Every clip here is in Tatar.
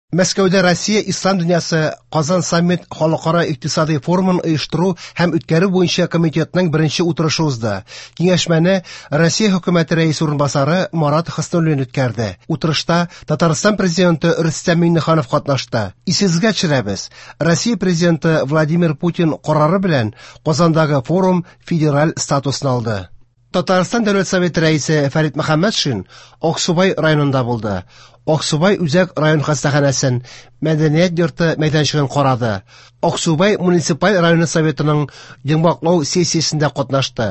Мәскәүдә Россия Ислам дөньясы Казан саммит халыкара икътисадый форумын оештыру һәм үткәрү буенча комитетның беренче утырышы узды. Киңәшмәне Россия хөкүмәте рәисе урынбасары Марат Хөснуллин үткәрде. Утырышта Татарстан президенты Рөстәм Миңнеханов катнашты. Исегезгә төшерәбез, Россия президенты Владимир Путин карары белән Казандагы форум федераль статусны алды. Татарстан Дәүләт Советы рәисе Фәрит Мөхәммәтшин Аксубай районында булды. Аксубай үзәк район хастаханәсен, мәдәният йорты мәйданчыгын карады. Аксубай муниципаль районы советының йомгаклау сессиясендә катнашты.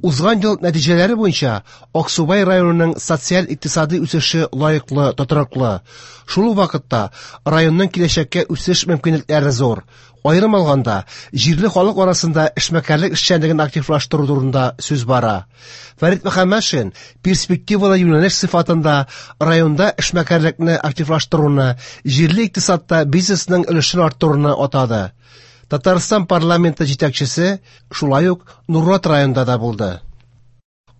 Узган ел нәтиҗәләре буенча Аксубай районының социаль-икътисади үсеше лаеклы, тотрыклы. Шул ук вакытта районның киләчәккә үсеш мөмкинлекләре зур. Аерым алганда, җирле халык арасында эшмәкәрлек эшчәнлеген активлаштыру турында сүз бара. Фәрит Мөхәммәтшин перспективалы юнәлеш сыйфатында районда эшмәкәрлекне активлаштыруны, җирле икътисадта бизнесның өлешен арттыруны атады. Татарстан парламенты җитәкчесе шулай ук Нурлат районында да булды.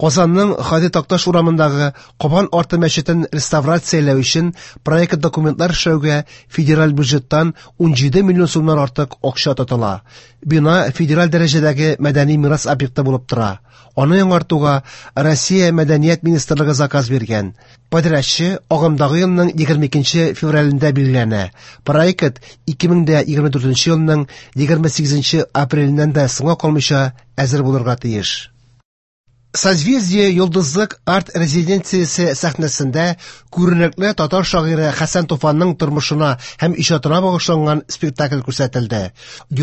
Казанның Һади Такташ урамындагы Кабан арты мәчетен реставрацияләү өчен проект документлар эшләүгә федераль бюджеттан 17 миллион сумнан артык акча тотыла. Бина федераль дәрәҗәдәге мәдәни мирас объекты булып тора. Аны яңартуга Россия Мәдәният министрлыгы заказ биргән. Подрядчы агымдагы елның 22 февралендә билгеләнә. Проект 2024 елның 28 апреленнән дә соңга калмыйча әзер булырга тиеш. Созвездие Йолдызлык арт-резиденциясе сәхнәсендә күренекле татар шагыйре Хәсән Туфанның тормышына һәм иҗатына багышланган спектакль күрсәтелде.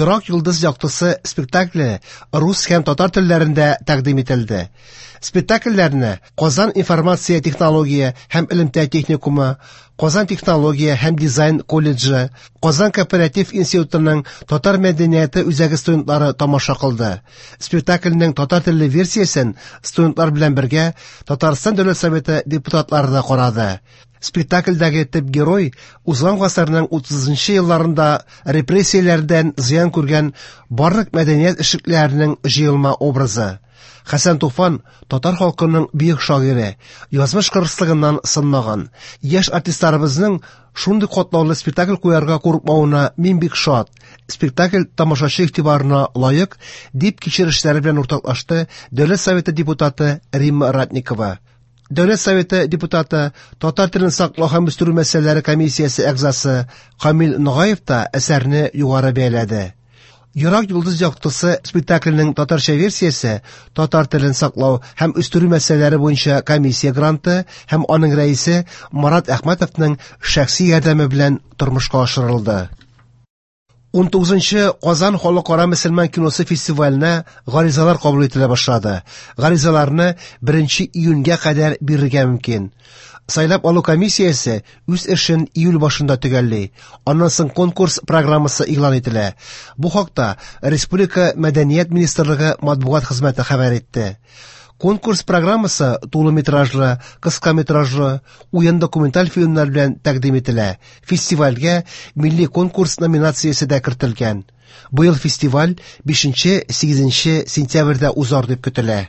Ерак йолдыз яктысы спектакле рус һәм татар телләрендә тәкъдим ителде. Спектакльләрне Казан информация технология һәм элемтә техникумы, Казан технология һәм дизайн колледжы, Казан кооператив институтының татар мәдәнияте үзәге студентлары тамаша кылды. Спектакльнең татар телле версиясен студентлар белән бергә Татарстан Дәүләт Советы депутатлары да карады. Спектакльдәге төп герой узган гасырның 30 елларында репрессияләрдән зыян күргән барлык мәдәният эшлеклеләренең җыелма образы. Хәсән Туфан татар халкының бөек шагыйре, язмыш кырыслыгыннан сынмаган. Яшь артистларыбызның шундый катлаулы спектакль куярга курыкмавына мин бик шат. Спектакль тамашачы игътибарына лаек, дип кичерешләре белән уртаклашты Дәүләт Советы депутаты Римма Ратникова. Дәүләт Советы депутаты, татар телен саклау һәм үстерү мәсьәләләре комиссиясе әгъзасы Камил Ногаев та әсәрне югары бәяләде. Ерак йолдыз яктысы спектакленең татарча версиясе татар телен саклау һәм үстерү мәсьәләләре буенча комиссия гранты һәм аның рәисе Марат Әхмәтовның шәхси ярдәме белән тормышка ашырылды. 19 Казан халыкара мөселман киносы фестиваленә гаризалар кабул ителә башлады. Гаризаларны 1 июньгә кадәр бирергә мөмкин. Сайлап алу комиссиясе үз эшен июль башында төгәлли. Аннан соң конкурс программасы игълан ителә. Бу хакта Республика Мәдәният министрлыгы матбугат хезмәте хәбәр итте. Конкурс программасы тулы метражлы, кыска метражлы, уен документаль фильмнар белән тәкъдим ителә. Фестивальгә милли конкурс номинациясе дә кертелгән. Быел фестиваль 5-8 сентябрьдә узар дип көтелә.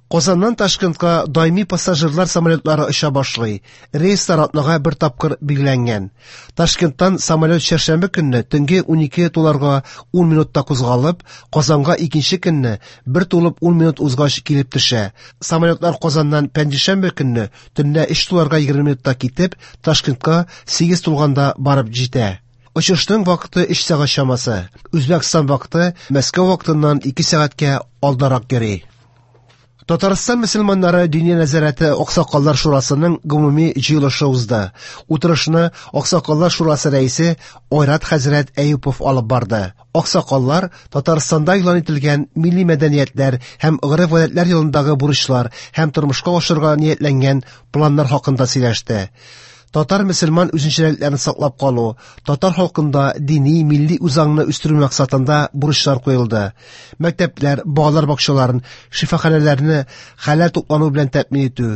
Казаннан Ташкентка даими пассажирлар самолетлары оча башлый. Рейслар атнага бер тапкыр билгеләнгән. Ташкенттан самолет чәршәмбе көнне төнге 12 туларга 10 минутта кузгалып, Казанга икенче көнне 1 тулып 10 минут узгач килеп төшә. Самолетлар Казаннан пәнҗешәмбе көнне төнлә 3 туларга 20 минутта китеп, Ташкентка 8 тулганда барып җитә. Очышның вакыты 3 сәгать чамасы. Үзбәкстан вакыты Мәскәү вакытыннан 2 сәгатькә алдарак йөри. Татарстан мөселманнары Диния нәзарәте Аксакаллар шурасының гомуми җыелышы узды. Утырышны Аксакаллар шурасы рәисе Айрат хәзрәт Әюпов алып барды. Аксакаллар Татарстанда игълан ителгән милли мәдәниятләр һәм гореф-гадәтләр елындагы бурычлар һәм тормышка ашырырга ниятләнгән планнар хакында сөйләште. Татар мөселман үзенчәлекләрен саклап калу, татар халкында дини, милли үзаңны үстерү максатында бурычлар куелды. Мәктәпләр, балалар бакчаларын, шифаханәләрне хәләл туклану белән тәэмин итү,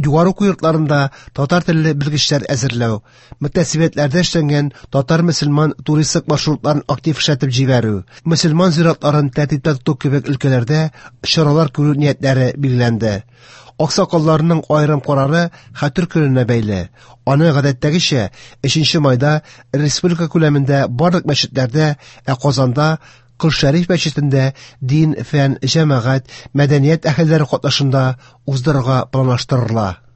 югары уку йортларында татар телле белгечләр әзерләү, мөхтәсибәтләрдә эшләнгән татар мөселман туристик маршрутларын актив эшләтеп җибәрү, мөселман зиратларын тәртиптә тоту кебек өлкәләрдә чаралар күрү ниятләре билгеләнде. Аксакалларның аерым карары Хәтер көненә бәйле. Аны гадәттәгечә 3 майда республика күләмендә барлык мәчетләрдә, ә Казанда Кол Шәриф мәчетендә дин, фән, җәмәгать, мәдәният әһелләре катнашында уздырырга планлаштырыла.